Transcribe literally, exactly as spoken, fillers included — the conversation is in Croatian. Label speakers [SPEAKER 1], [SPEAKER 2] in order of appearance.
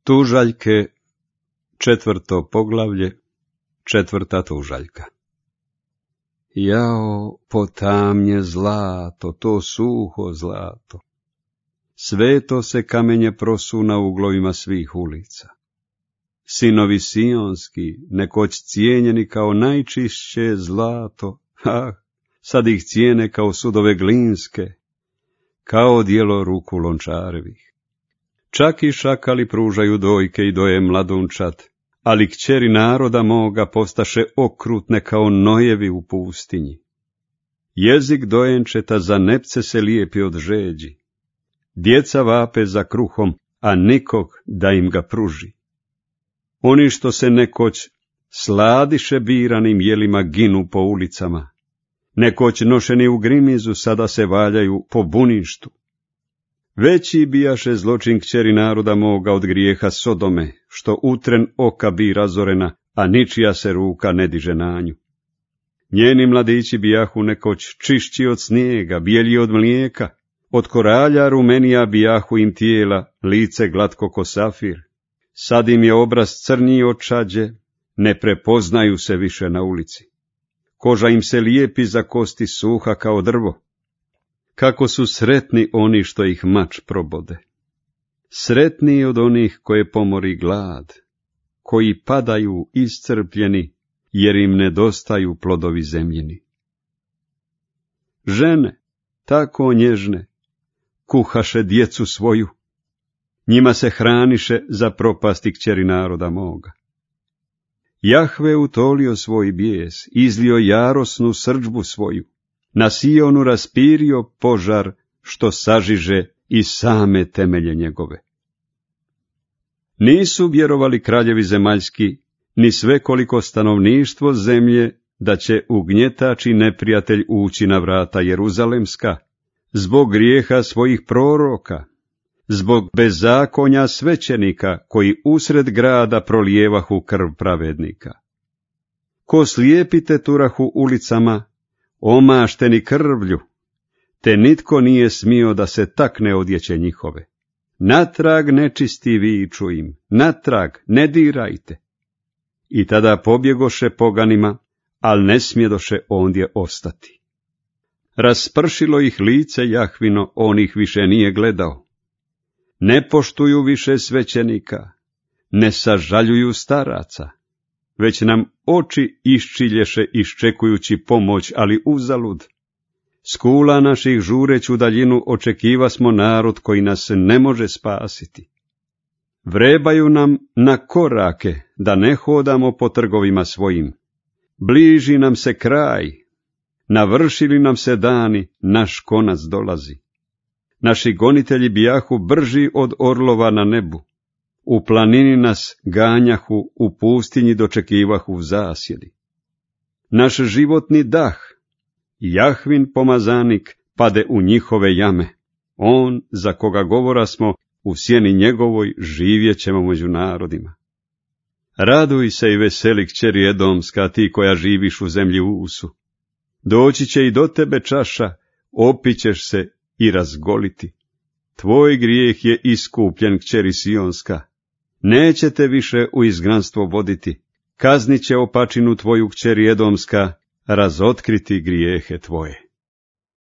[SPEAKER 1] Tužaljke, četvrto poglavlje, četvrta tužaljka. Jao, potamnje zlato, to suho zlato. Sveto se kamenje prosu na uglovima svih ulica. Sinovi sionski, nekoć cijenjeni kao najčišće zlato, ah, sad ih cijene kao sudove glinske, kao djelo ruku lončarevih. Čak i šakali pružaju dojke i doje mladunčad, ali kćeri naroda moga postaše okrutne kao nojevi u pustinji. Jezik dojenčeta za nepce se lijepi od žeđi. Djeca vape za kruhom, a nikog da im ga pruži. Oni što se nekoć sladiše biranim jelima ginu po ulicama, nekoć nošeni u grimizu sada se valjaju po buništu. Veći bijaše zločin kćeri naroda moga od grijeha Sodome, što utren oka bi razorena, a ničija se ruka ne diže na nju. Njeni mladići bijahu nekoć čišći od snijega, bijelji od mlijeka, od koralja rumenija bijahu im tijela, lice glatko ko safir. Sad im je obraz crniji od čađe, ne prepoznaju se više na ulici. Koža im se lijepi za kosti, suha kao drvo. Kako su sretni oni što ih mač probode. Sretniji od onih koje pomori glad, koji padaju iscrpljeni, jer im nedostaju plodovi zemljini. Žene, tako nježne, kuhaše djecu svoju, njima se hraniše za propasti kćeri naroda moga. Jahve utolio svoj bijes, izlio jarosnu srdžbu svoju, na Sionu raspirio požar, što sažiže i same temelje njegove. Nisu vjerovali kraljevi zemaljski, ni svekoliko stanovništvo zemlje, da će ugnjetač i neprijatelj ući na vrata Jeruzalemska, zbog grijeha svojih proroka, zbog bezakonja svećenika, koji usred grada prolijevahu krv pravednika. Ko slijepi te turahu ulicama, omašteni krvlju, te nitko nije smio da se takne odjeće njihove. Natrag nečisti viču im, natrag ne dirajte. I tada pobjegoše poganima, al ne smjedoše ondje ostati. Raspršilo ih lice Jahvino, on ih više nije gledao. Ne poštuju više svećenika, ne sažaljuju staraca, već nam oči iščilješe iščekujući pomoć, ali uzalud. S kula naših žureću daljinu očekiva smo narod koji nas ne može spasiti. Vrebaju nam na korake da ne hodamo po trgovima svojim. Bliži nam se kraj, navršili nam se dani, naš konac dolazi. Naši gonitelji bijahu brži od orlova na nebu. U planini nas ganjahu, u pustinji dočekivahu zasjedi. Naš životni dah, Jahvin pomazanik, pade u njihove jame. On, za koga govora smo, u sjeni njegovoj živjet ćemo među narodima. Raduj se i veseli kćeri Edomska, ti koja živiš u zemlji Usu. Doći će i do tebe čaša, opićeš se i razgoliti. Tvoj grijeh je iskupljen, kćeri Sionska. Neće te više u izgnanstvo voditi. Kaznit će opačinu tvoju, kćeri Edomska, razotkriti grijehe tvoje.